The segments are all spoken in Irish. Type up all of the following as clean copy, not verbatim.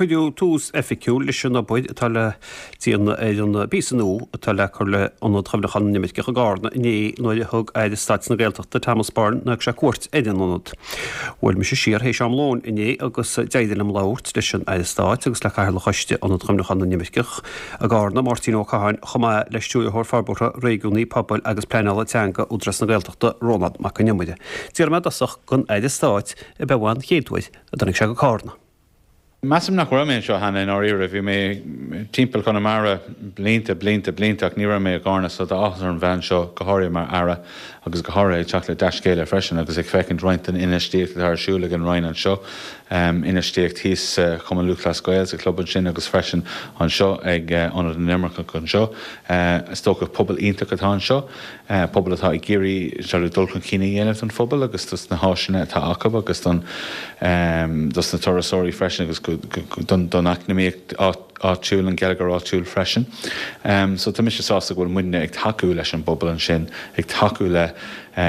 Cuireadh tús oifigiúil leis an obair atá le déanamh ar an bpíosa nua atá le cur le Ionad Chuimhneacháin na nImirceach i gCarna inné nuair a thug Aire Stáit na Gaeltachta Thomas Byrne nuair a thug sé cuairt ar an ionad. Bhuail mise siar théis am lóin inné agus d'éirigh liom labhairt leis an Aire Stáit agus le Cathaoirleach Choiste Ionad Chuimhneacháin na nImirceach i gCarna, Máirtín Ó Catháin, chomh maith le Stiúrthóir Forbartha Réigiúnaí Pobail agus Pleanála Teanga Údarás na Gaeltachta, Rónán Mac Con Iomaire. D'iarr mé i dtosach den Aire Stáit ab é an chéad uair a dtáinig sé go Cárna. Measaim nach raibh mé anseo cheana i ndáiríre. Bhí mé timpeall Chonamara blianta, blianta, blianta ach ní raibh mé i gCárna so tá áthas orm bheith anseo, go háirithe mar Aire agus go háirithe ag teacht le dea-scéala freisin agus ag féachaint roinnt den infheistíocht atá ar siúl ag an Roinn anseo, infheistíocht thíos sa Chumann Lúthchleas Gael sa chlub ansin agus freisin anseo ag Ionad na nImirceach anseo. Is dócha pobal iontach atá anseo. pobal atá ag iarraidh sort of dul chun cinn a dhéanamh don phobal agus dos na háiseanna atá acu agus don dos na turasóirí freisin agus don don eacnamaíocht áitiúil, an geilleagar áitiúil freisin. So tá mise sásta go bhfuil muidne ag tacú leis an bpobal ansin, ag tacú le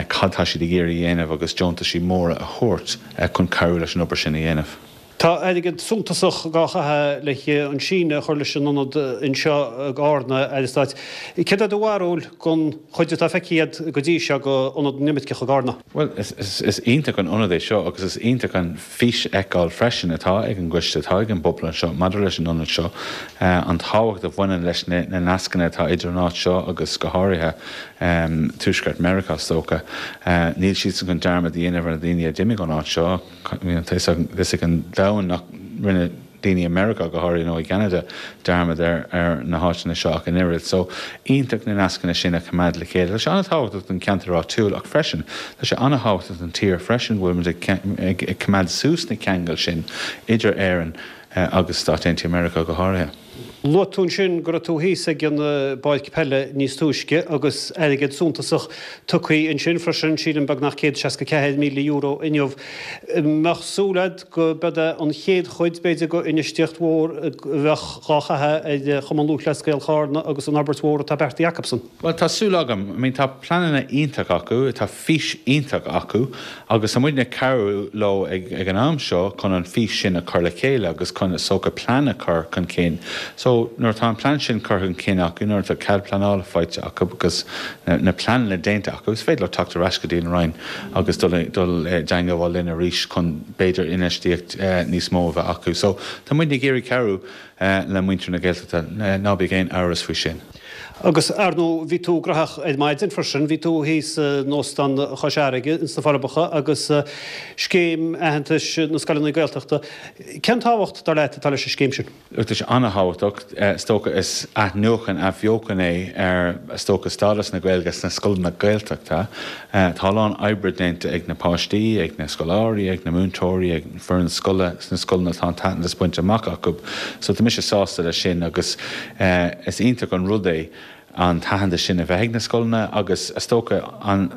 cad tá siad ag iarraidh a dhéanamh agus deontaisí móra a thabhairt chun cabhrú leis an obair sin a dhéanamh. Tá airgead suntasach dhá chaitheamh le an síneadh a chur leis an ionad anseo i gCárna, a Aire Stáit. Céard é do bharúil den chuid atá feicthe agat go dtí seo d'Ionad na nImirceach i gCárna? Bhuel, is iontach an ionad é seo agus is iontach an fís a fheiceáil freisin atá ag an gcoiste, atá ag an bpobal anseo maidir leis an ionad seo, an tábhacht a bhaineann leis na nascanna atá idir an áit seo agus go háirithe Tuaisceart Meiriceá is dócha. Níl siadsan chun dearmad a dhéanamh ar na daoine a d'imigh ón áit seo. Tá fhios ag an domhan nach rinne daoine i Meiriceá, go háirithe, nó i gCeanada, dearmad ar na háiteanna seo ach an oiread. So, iontach na nascanna sin a choimeád le chéile. Tá sé an-tábhachtach don cheantar áitiúil ach freisin, tá sé an-tábhachtach don tír freisin go bhfuil muid ag coimeád suas na ceangail sin idir Éirinn agus Stáit Aontaithe Meiriceá go háirithe. Luaigh tú ansin go raibh tú thíos ag an bpáirc peile níos túisce agus airgead suntasach tugtha ansin freisin, sílim beagnach €164,000 inniu. Mbeadh súil agat go mbeadh é an chéad chuid, b'fhéidir, go infheistíocht mhór a bheadh dhá chaitheamh ar Chumann Lúthchleas Gael Chárna agus an fhorbairt mhór atá beartaithe acusan? Bhuel, tá súil agam. I mean, tá pleananna iontach acu, tá fís iontach acu agus tá muidne ag cabhrú leo ag ag an am seo chun an fís sin a chur le chéile agus chun is dócha plean a chur chun cinn. So, nuair atá an plean sin curtha chun cinn acu, nuair atá cead pleanála faighte acu agus na pleananna déanta acu, is féidir leo teacht ar ais go dtí an Roinn agus dul dul i dteangabháil linn arís chun b'fhéidir infheistíocht níos mó a bheith acu. So, tá muidne ag iarraidh cabhrú le muintir na Gaeltachta, ná bíodh aon amhras faoi sin. Agus, ar ndóigh, bhí tú graitheach ar maidin freisin, bhí tú thíos in Óstán Chois Fharraige ins na Forbacha agus scéim aitheantais na scoileanna Gaeltachta. Cén tábhacht, dar leat, atá leis an scéim sin? Look, tá sé an-thábhachtach. Is dócha is athnuachan, athbheochan é ar, is dócha, stádas na Gaeilge sna scoileanna Gaeltachta. Tá a lán oibre déanta ag na páistí, ag na scoláirí, ag na múinteoirí, ag foireann scoile sna scoileanna atá an t-aitheantas bainte amach acu. So tá mise sásta leis sin agus is iontach an rud é an t-aitheantas sin a bheith ag na scoileanna agus is dócha an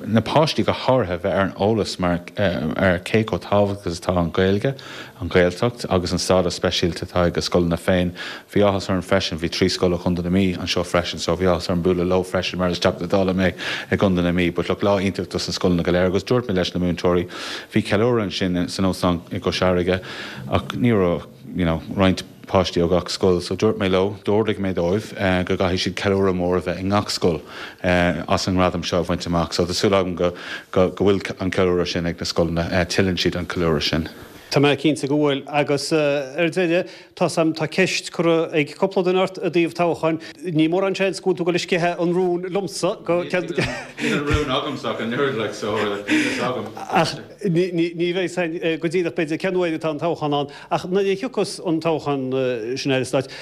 na páistí go háirithe bheith ar an eolas mar ar cé chomh tábhachtach is atá an Ghaeilge, an Ghaeltacht agus an stádas speisialta atá ag a scoileanna féin. Bhí áthas orm freisin, bhí 3 scoil ó Chontae na Mí anseo freisin so bhí áthas orm bualadh leo freisin mar is Teachta Dála mé i gContae na Mí. But look, lá iontach dos na scoileanna go léir agus dúirt mé leis na múinteoirí, bhí ceiliúradh ansin san óstán i gCois Fharraige ach ní raibh you know roinnt páistí ó gach scoil so dúirt mé leo, d'ordaigh mé dóibh go gcaithfidh siad ceiliúradh mór a bheith i ngach scoil as an ngradam seo a bhaint amach. So tá súil agam go go bhfuil an ceiliúradh sin ag na scoileanna, tuilleann siad an ceiliúradh sin. Tá mé cinnte go bhfuil. Agus ar deireadh, tá 's a'm, tá ceist curtha ag cúpla duine ort i dtaobh toghcháin. Ní mórán seans go bhfuil tú ag dul ag sceitheadh an rúin liomsa go ceann. Níl an rún agamsa ach an oiread, like, so níl fhios agam. Ach ní bheidh 's a'inn go díreach b'fhéidir cén uair atá an toghchán ann. Ach nuair a thiocfas an toghchán sin, Aire Stáit,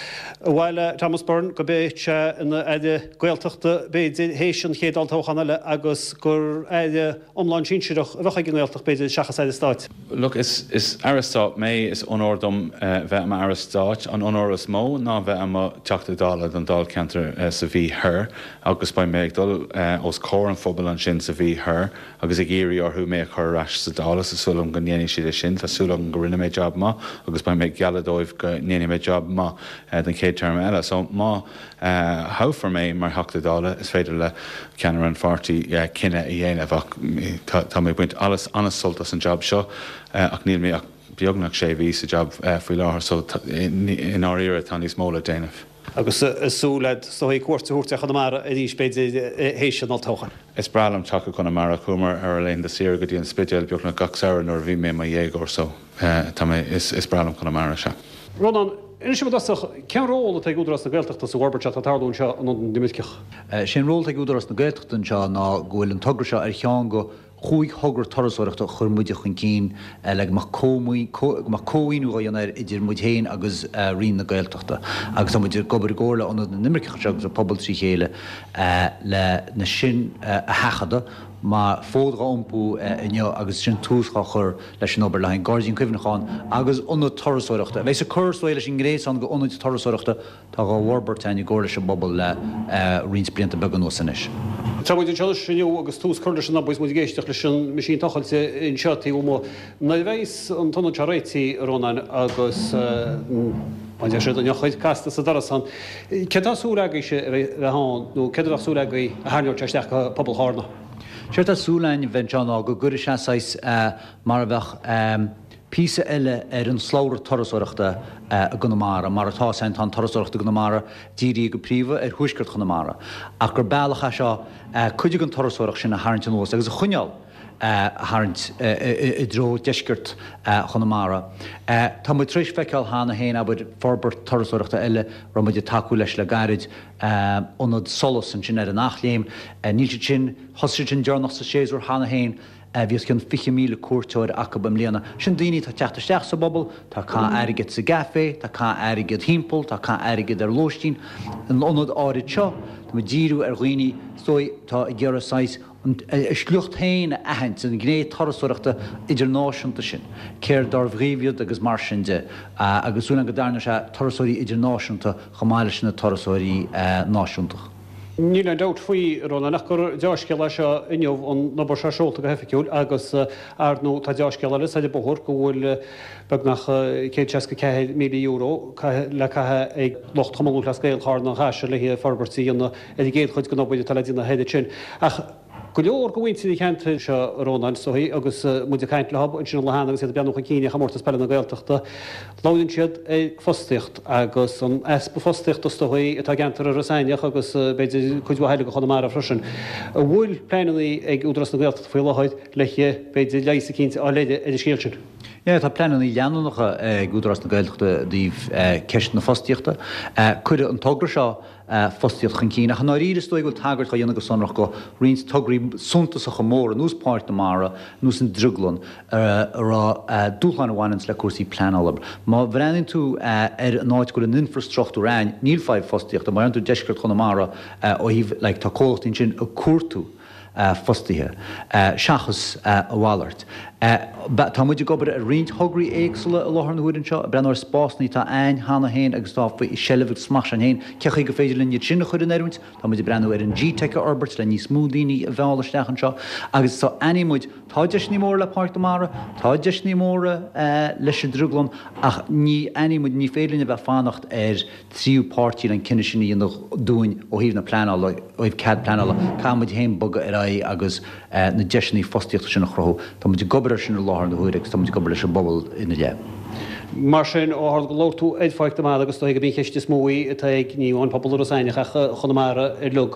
ar mhaith le Thomas Byrne go mbeadh sé ina Aire Gaeltachta b'fhéidir théis an chéad olltoghchán eile agus gur Aire iomlán sinsearach a bheadh ag an nGaeltacht b'fhéidir seachas Aire Stáit. Look, is Aire Stáit mé, is onóir dom bheith i m'Aire Stáit. An onóir is mó ná bheith i mo Theachta Dála don Dáilcheantar sa Mhí Thoir agus beidh mé ag dul os comhair an phobail ansin sa Mhí Thoir agus ag iarraidh orthu mé a chur ar ais sa Dáil agus tá súil agam go ndéanfaidh siad é sin. Tá súil agam go rinne mé jab maith agus beidh mé ag gealladh dóibh go ndéanfaidh mé jab maith don chéad téarma eile. So má thoghfar mé mar Theachta Dála, is féidir le ceannaire an pháirtí cinneadh a dhéanamh ach tá mé ag baint an-sult as an jab seo ach níl mé ach. beagnach sé mhí sa jab faoi láthair so i ndáiríre tá níos mó le déanamh. Agus súil agat is dóigh cuairt a thabhairt ar Chonamara arís b'fhéidir théis an olltoghcháin. Is breá liom teacht go Conamara. Chuamar ar ár laethanta saoire go dtí an Spidéal beagnach gach samhradh nuair a bhí mé i mo dhéagóir so tá mé, is breá liom Conamara, sea. Rónán, inis dom i dtosach, cén ról atá ag Údarás na Gaeltachta sa bhforbairt atá ag tarlú anseo in Ionad na nImirceach? Sé an ról atá ag Údarás na Gaeltachta anseo ná go bhfuil an togra seo ar cheann de chúig thogra turasóireachta a chuir muide chun cinn le go mbeadh cómhaoiniú á dhéanamh air idir muid féin agus Roinn na Gaeltachta agus tá muid ag obair i gcomhar le Ionad na nImirceach anseo agus an pobal trí chéile le na sin a sheachadadh mar fód dhá iompú inniu agus sin tús dhá chur leis an obair le haghaidh an Gairdín Cuimhneacháin agus ionad turasóireachta a bheas ag cur is dóigh leis an ngréasán de ionaid turasóireachta atá dhá bhforbairt againn i gcomhar leis an bpobal le roinnt blianta beaga anuas anois. Tá muid anseo anois inniu agus tús curtha leis an obair is muid ag éisteacht leis an meaisín tochailte anseo taobh amuigh. Nuair a bheidh an t-ionad seo réitithe, a Rónáin, agus mar a deir siad, an eochair casta sa doras ann, céard tá súil agaibhse a bheith ann nó céard a bheadh súil agaibh a tharraingeodh sé isteach go pobal Chárna? Séard tá súil againn a bheith anseo ná go gcuirfidh sé saghas mar a bheadh píosa eile ar an slabhra turasóireachta i gConamara. Mar atá a fhios againn tá an turasóireacht i gConamara dírithe go príomha ar thuaisceart Chonamara, ach gur bealach é seo cuid den turasóireacht sin a tharraingt anuas agus a choinneáil a tharraingt i dtreo deisceart Chonamara. Tá muid tar éis feiceáil cheana féin, abair, forbairt turasóireachta eile a raibh muid ag tacú leis le gairid, ionad Solas ansin ar an Eachléim. Níl siad sin, thosaigh siad sin deireanach sa séasúr cheana féin. Bhí os cionn 20,000 cuairteoir acu i mbliana. Sin daoine atá ag teacht isteach sa bpobal, tá ag caitheamh airgead sa gcaife, tá ag caitheamh airgead thimpeall, tá ag caitheamh airgead ar lóistín. An ionad áirid seo, tá muid ag díriú ar dhaoine, is dóigh, atá ag iarraidh saghas a sliocht féin a aithint, an ghné turasóireachta idirnáisiúnta sin, céard dárbh dhaoibh iad agus mar sin de. Agus súil agam go dtarraingeoidh sé turasóirí idirnáisiúnta chomh maith leis na turasóirí náisiúnta. Níl aon dabht faoi, a Rónáin, ach gur deá-scéal é seo inniu, an obair seo seolta go hoifigiúil agus, ar ndóigh, tá deá-scéal eile soir an bóthar go bhfuil beagnach €164,000 le caitheamh ag lucht Chumann Lúthchleas Gael Charna an Chaisil le forbairt a dhéanamh ar an gcéad chuid den obair atá le déanamh thoir ansin. Ach go leor de mhuintir an cheantair seo, a Rónáin, is dóigh, agus muid ag caint leo ansin an lá cheana agus iad ag breathnú chun cinn ar Chomórtas Peile na Gaeltachta, labhraíonn siad ar fostaíocht agus an easpa fostaíochta is dóigh atá i gceantar Iorras Aithneach agus b'fhéidir cuid mhaith eile de Chonamara freisin. An bhfuil pleananna ag Údarás na Gaeltachta faoi láthair le b'fhéidir leigheas eicínt a fháil ar an scéal sin? Yeah, tá pleananna leanúnacha ag Údarás na Gaeltachta i dtaobh ceist na fostaíochta. Cuireadh an togra seo fostaíocht chun cinn, ach i ndáiríre is dóigh go bhfuil tagairt á dhéanamh go sonrach go roinnt tograí suntasacha móra, ar nós Páirc na Mara, ar nós an Drioglann, a raibh dúshláin a bhaineanns le cúrsaí pleanála. Má bhreathnaíonn tú ar an áit go bhfuil an infreastruchtúr ann, níl fadhb fostaíochta. Má bhreathnaíonn tú deisceart Chonamara ó thaobh, like, tá comhlachtaí ansin ag cuartú fostaithe, seachas a mhalairt. Tá muid ag obair ar roinnt thograí éagsúla i láthair na huaire anseo, ag breathnú ar spásanna atá a'ainn cheana féin agus atá faoi sheilbh agus smacht s'a'ainn féin, cé chaoi gur féidir linn iad sin a chur in oiriúint. Tá muid ag breathnú ar an G-Teic a fhorbairt le níos mó daoine a mhealladh isteach anseo agus so aithníonn muid, tá deiseanna móra le Páirc na Mara, tá deiseanna móra leis an Drioglann ach ní aithníonn muid, ní féidir linn a bheith ag fanacht ar tríú páirtí le an cinneadh sin a dhéanamh dúinn ó thaobh na pleanála, ó thaobh cead pleanála. Caithfidh muid féin bogadh ar aghaidh agus na deiseanna fostaíochta sin a chruthú. Tá muid ag obair air sin i láthair na huaire agus tá muid ag obair leis an bpobal ina leith. Mar sin, ó tharla gur labhair tú ar Pháirc na Mara agus is dóigh gurb í an cheist is mó í atá ag ní amháin pobal Iorras Aithneach ach Chonamara uilig,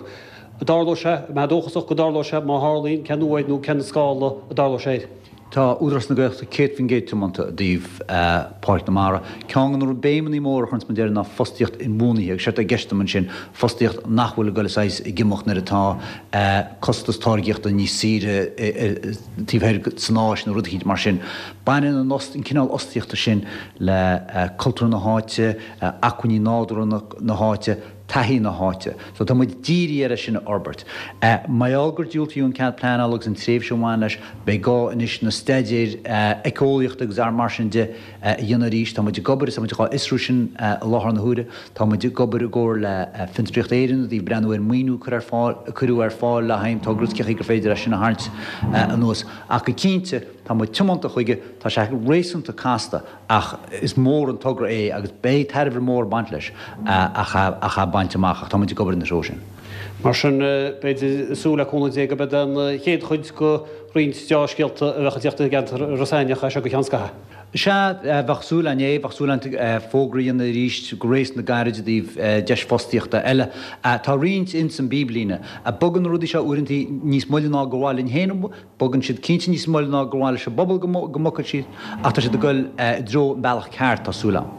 an dtarlóidh sé, an mbeifeá dóchasach go dtarlóidh sé, má tharlaíonn, cén uair nó cén scála a dtarlóidh sé air? Tá Údarás na Gaeltachta 100% tiomanta i dtaobh Páirc na Mara. Ceann de na béimeanna móra a chuireanns muid air ná fostaíocht inbhuanaithe agus séard atá i gceist agam ansin, fostaíocht nach bhfuil ag dul saghas ag imeacht nuair atá costas táirgíochta níos saoire taobh thoir san Áis nó rud eicínt mar sin. Baineann an an cineál fhostaíochta sin le cultúr na háite, acmhainní nádúrtha na háite, taithí na háite. So tá muid dírithe ar é sin a fhorbairt. Mar gheall gur diúltaíodh an cead pleanála agus an tréimhse a bhain leis, beidh gá anois na staidéir éiceolaíochta agus mar sin de a dhéanamh arís. Tá muid ag obair is tá muid dhá fhiosrú sin i láthair na huaire. Tá muid ag obair i gcomhar le Fiontraíocht Éireann i dtaobh breathnú ar maoiniú a cur ar fáil, a cuireadh ar fáil le haghaidh an togra is cé chaoi gur féidir é sin a tharraingt anuas. Ach go cinnte, tá muid tiomanta chuige, tá sé réasúnta casta. Ach is mór an togra é agus beidh tairbhe mór ag baint leis ach é a bhaint amach ach tá muid ag obair ina threo sin. Mar sin, b'fhéidir, súil le cúnamh Dé go mbeidh an chéad chuid de roinnt deá-scéalta a bheadh ag tíocht i gceantar Ros Eimhneach as seo go ceann scaithimh. Sea, bheadh súil againn é, bheadh súil againn fógra a dhéanamh arís go réasúnta gairid i dtaobh deis fostaíochta eile. Tá roinnt ins an bpíblíne. Bogann na rudaí seo uaireantaí níos moille ná gur mhaith linn féin, bogann siad cinnte níos moille ná gur mhaith leis an bpobal go mbogfadh siad, ach tá siad ag dul i dtreo an bealach ceart, tá súil agam.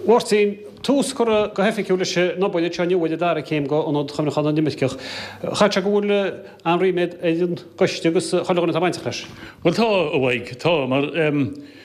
Mháirtín, tús curtha go hoifigiúil leis an obair anseo inniu ar an dara céim d'Ionad Chuimhneacháin na nImirceach. Chaithfeadh sé go bhfuil an-ríméad ar an gcoiste agus chuile dhuine atá bainteach leis. Bhuel tá, a Mhaidhc, tá, mar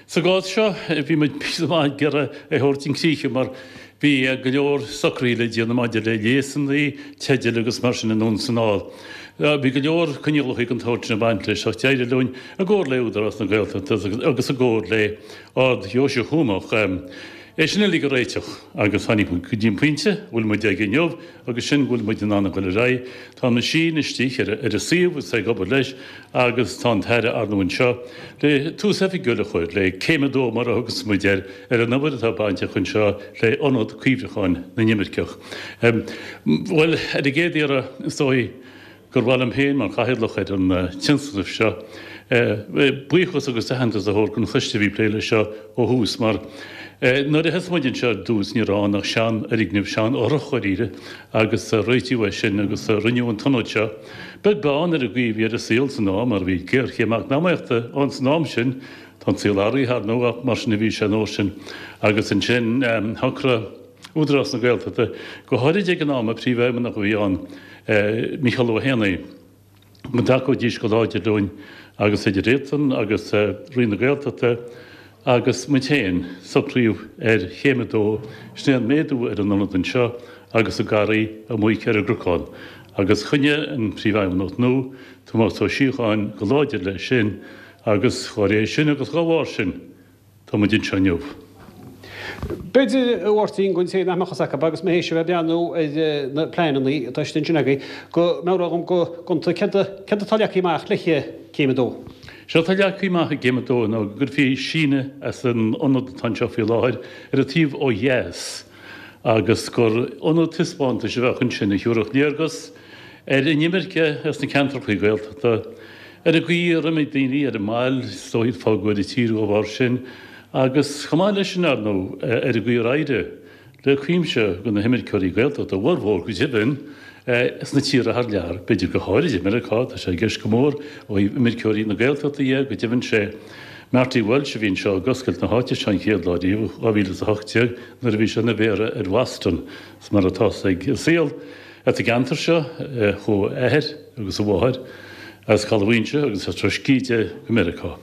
sa gcás seo bhí muid píosa maith ag iarraidh é a thabhairt chun críche mar bhí go leor socruithe le déanamh maidir le léasanna, teidil agus mar sin anonn is anall. Bhí go leor coinníollacha den tsórt sin ag baint leis ach d'éirigh linn i gcomhar le Údarás na Gaeltachta agus i gcomhar le Ard-Dheoise Thuamach, é sin uilig a réiteach agus tháinig muid go dtí an pointe a bhfuil muid aige inniu agus sin go bhfuil muid in ann a dhul ar aghaidh. Tá an meaisín istigh ar an suíomh agus é ag obair leis agus tá an tAire ar ndóigh anseo le tús oifigiúil a chur le céim a dó mar a thugas muid air ar an obair atá bainteach anseo le Ionad Cuimhneacháin na nImirceach. Bhuel, ar an gcéad iarraidh, is dóigh, gur mhaith liom féin, mar chathaoirleach ar an tionscnamh seo, buíochas agus aitheantas a thabhairt don choiste a bhí ag plé leis seo ó thús, mar nuair a thosaigh muid anseo ar dtús ní raibh ann ach seanfhoirgneamh, seanfhothrach dháiríre, agus réitíodh é sin agus rinneadh an t-ionad seo. Beag beann ar an gcaoi a bhí ar an saol san am, mar bhí géarchéim eacnamaíochta ann san am sin, tá an saol athraithe, ar ndóigh, ach mar sin a bhí sé an uair sin. Agus ansin shocraigh Údarás na Gaeltachta, go háirid ag an am, an príomhfheidhmeannach a bhí ann, Mícheál Ó hÉanaí, go dtacóidís go láidir linn agus idir iadsan agus Roinn na Gaeltachta agus muid féin, socraíodh ar chéim a dó, sin é an méadú ar an ionad anseo agus an garraí amuigh ar an gcnocán. Agus choinnigh an Príomhfheidhmeannach nua, Tomás Ó Síocháin, go láidir leis sin agus dá réir sin agus dá bharr sin, Tá muid anseo inniu. B'fhéidir, a Mháirtín, don té nach mbeadh fhios acu, agus mé théis a bheith ag breathnú ar na pleananna atá istigh ansin agaibh, go mbeadh agam go gonta céard atá leagtha amach le céim a dó. Séard atá leagtha amach i gcéim a dó ná go gcuirfí síneadh as an ionad atá anseo faoi láthair ar an taobh ó dheas agus gur ionad taispeántais a bheadh ansin a thiúrfadh léargas ar an imirce as na ceantracha Gaeltachta, ar an gcaoi ar imigh daoine ar an mbail, is dóigh, fágadh an tír dá bharr sin, agus chomh maith leis sin, ar ndóigh, ar an gcaoi ar éirigh le cuimse de na himirceoirí Gaeltachta, a bhformhór go deimhin, sna tíortha thar lear, b'fhéidir go háirid i Meiriceá, tá sé i gceist go mór ó thaobh imirceoirí na Gaeltachta dhe, go deimhin sé Marty Walsh a bhí anseo ag oscailt na háite seo an chéad lá riamh, 2018, nuair a bhí sé ina mhéara ar Bhoston, is mar atá 's ag an saol. As an gceantar seo chuaigh a athair agus a mháthair as Caladh Mhaínse agus as Ros Cíde go Meiriceá.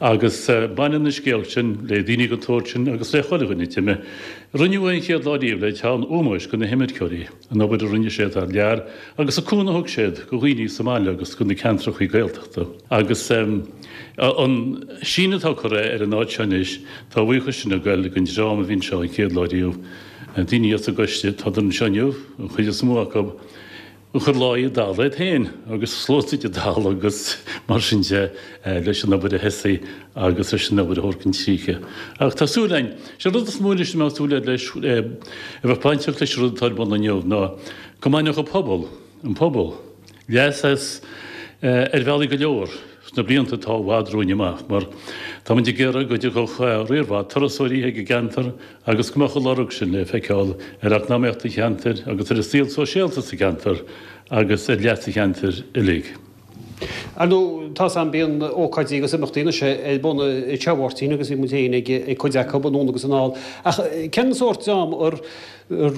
Agus baineann an scéal sin le daoine den tsórt sin agus le chuile dhuine a d'imigh. Rinneadh é an chéad lá riamh le teann ómóis do na himirceoirí, an obair a rinne siad thar lear agus an cúnamh a thug siad do dhaoine sa mbaile agus do na ceantrachaí Gaeltachta. Agus an síneadh atá curtha ar an áit seo anois, tá a bhuíochas sin ag goil don dream a bhí anseo an chéad lá riamh, Daoine as an gcoiste, tádar anseo inniu, an chuid is mó acu, a chuir láí i dtalamh iad féin agus sluasaid i dtalamh agus mar sin de leis an obair a thosaí agus leis an obair a thabhairt chun críche. Ach tá súil againn, sé an rud is mó anois a mbeadh súil leis, a bheadh bainteach leis an rud atá ar bun inniu ná go mbainfeadh an pobal, an pobal, leas as ar bhealaí go leor sna blianta atá i bhfad romhainn amach mar táimid ag iarraidh go dtiocfadh riar mhaith turasóirí ag an gceantar agus go mbeadh an lorg sin le feiceáil ar eacnamaíocht an cheantair agus ar an saol sóisialta sa cheantar agus ar leas an cheantair uilig. Ar ndóigh, tá's a'm, bíonn ócáidí agus imeachtaí anois ar bun anseo a Mháirtín agus bhí muid féin ag cuid acu anonn agus anall. Ach cén sórt dream ar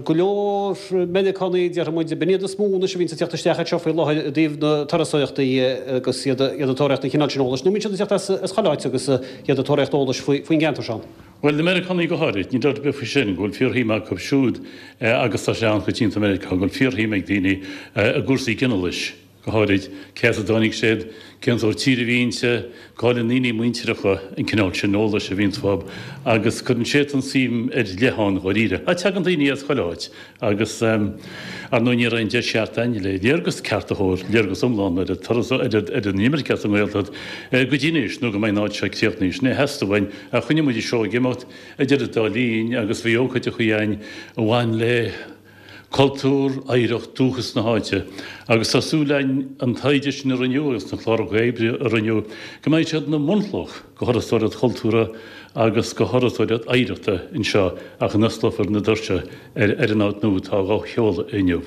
go leor Meiriceánaigh, déarfaidh muid, b'in iad is mó anois a bhíonns ag teacht isteach anseo faoi láthair i dtaobh na turasóireachta agus iad ag tóraíocht an chineál sin eolais, nó an mbíonn siad ag teacht as chuile áit agus iad ag tóraíocht eolais faoin gceantar seo? Bhuel, na Meiriceánaigh go háirid, níl dabht ar bith faoi sin, go bhfuil fíorshuim acu siúd agus tá sé an-choitianta i Meiriceá go bhfuil fíorshuim ag daoine i gcúrsaí ginealais. go háirid, cé as a dtáinig siad, cén sórt tír a bhí inti, go háirid na ndaoine muintireacha, an cineál sin eolais a bhíonns uathu agus cuireann siadsan suim ar leith ann dháiríre. Ach tagann daoine as chuile áit agus, ar ndóigh, ní raibh aon deis cheart againn le léargas ceart a thabhairt, léargas iomlán ar an turas, ar an imirce as an nGaeltacht go dtí anois nó go mbeidh an áit seo críochnaithe. Sin é a theastaigh uainn ach choinnigh muid an seó ag imeacht idir an dá linn agus bhí ócáideachaí againn a bhain le. Cultúr, oidhreacht, dúchas na háite. Agus tá súil againn an taighde sin a rinneadh agus na cláracha oibre a rinneadh, go mbeidh siad ina mbunchloch go thurasóireacht chultúrtha agus go thurasóireacht oidhreachta anseo ach a n-osclófar na doirse ar an áit nua atá á sheoladh inniu.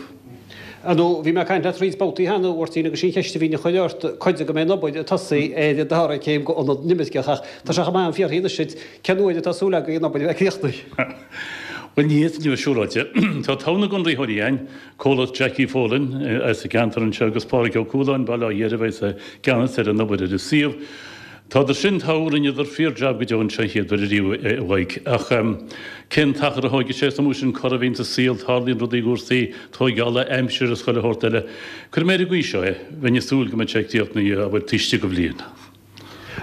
Ar ndóigh, bhí mé ag caint leat roinnt babhtaí cheana, a Mháirtín, agus sí an cheist a bhínn a chur ort, cá fhad go mbeidh an obair ag tosaí ar an dara céim go Ionad na nImirceach, ach tá sé chomh maith am fiafraí anois duit, cén uair atá súil agaibh an obair a bheith críochnaithe? Bhuel, ní fhéadfainn a bheith siúráilte. Tá togha na gconraitheoirí againn, comhlacht Jackie Folan as an gceantar anseo agus Pádraig Ó Cualáin, Baile Átha Dheirbe, a bheas i gceannas ar an obair ar an suíomh. Tádar sin togha, rinneadar fíor-jab go deo anseo an chéad uair ariamh a Mhaidhc. Ach cén t-achar a thóigfidh sé? Is iomaí sin cor a bhíonn sa saol, tarlaíonn rudaí i gcúrsaí tóigeála, aimsir is chuile shórt eile. Cuirfidh mé ar an gcaoi seo é, bheinn ag súil go mbeadh sé críochnaithe, abair, taobh istigh de bhliain.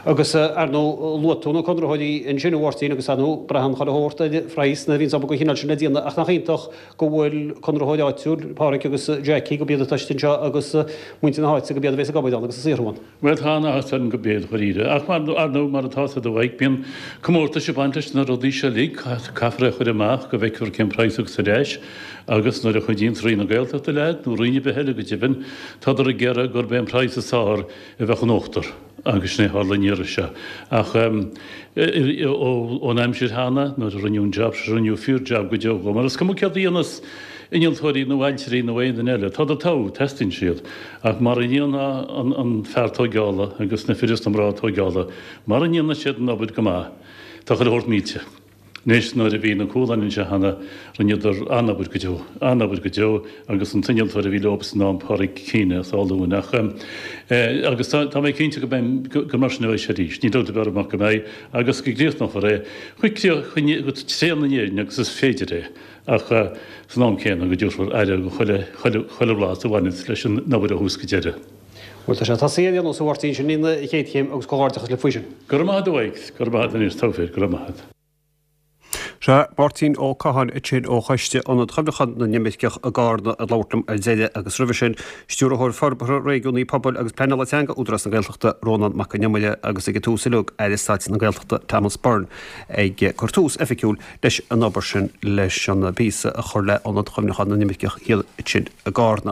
Agus, ar ndóigh, luaigh tú na conraitheoirí ansin, a Mháirtín, agus ar ndóigh, braitheann chuile shórt ar phraghas nuair a bhíonns obair den chineál sin le déanamh, ach nach iontach go bhfuil conraitheoir áitiúil, Pádraic agus Jackie, gurb iad atá istigh anseo agus muintir na háite, gurb iad a bhéas ag obair ann agus ag saothrú ann. Bhuel, tá an-áthas orainn gurb iad, dháiríre. Ach mar, ar ndóigh, mar atá 'fhios a'd a Mhaidhc, bíonn comórtais ag baint leis na rudaí seo uilig, caithfear é a chur amach go bhfeicfear cén praghas a thiocfas ar ais agus nuair a chuidíonns Roinn na Gaeltachta leat, nó roinn ar bith eile go deimhin, tádar ag iarraidh gurb é an praghas is fearr a bheadh in uachtar agus sin é a tharla an iarraidh seo. Ach ón aimsir cheana, nuair a rinneadh an jab seo, rinneadh fíor-jab go deo dhó, mar is cuma céard a dhéanas innealtóirí nó ailtirí nó aon duine eile, tádar togha, teastaíonn siad. Ach mara ndéana an fear tóigeála agus na fir is na mná tóigeála, mara ndéana siad an obair go maith, tá chuile shórt millte. Anois, nuair a bhí na Cualáin anseo cheana, rinneadar an-obair go deo, an-obair go deo, agus an t-innealtóir a bhí leo san am, Pádraig Keane as Áth Luain. Ach, agus tá, tá mé cinnte go mbeidh, gur mar sin a bheidh sé arís. Níl dabht ar bith orm ach go mbeidh, agus go gcríochnófar é chomh, chomh tréan in Éirinn agus is féidir é. Ach san am céanna go dtabharfar aire do chuile, chuile, chuile bhlas a bhaineas leis an obair ó thús go deireadh. Bhuel, tá sé tosaithe ar aon nós, a Mháirtín, sin í an chéad chéim agus comhghairdeachas libh faoi sin. Go raibh maith agat, a Mhaidhc. Go raibh maith agat anois, togha fir, go raibh maith agat. Sea, Máirtín Ó Catháin ansin ó Choiste Ionad Chuimhneacháin na nImirceach i gCarna ag labhairt liom ar deireadh agus roimhe sin, Stiúrthóir Forbartha Réigiúnaí Pobail agus Pleanála Teanga Údarás na Gaeltachta, Rónán Mac Con Iomaire agus ag an tús uilig, Aire Stáit na Gaeltachta Thomas Byrne ag cur tús oifigiúil leis an obair sin leis an bpíosa a chur le Ionad Chuimhneacháin na nImirceach thiar ansin i gCarna.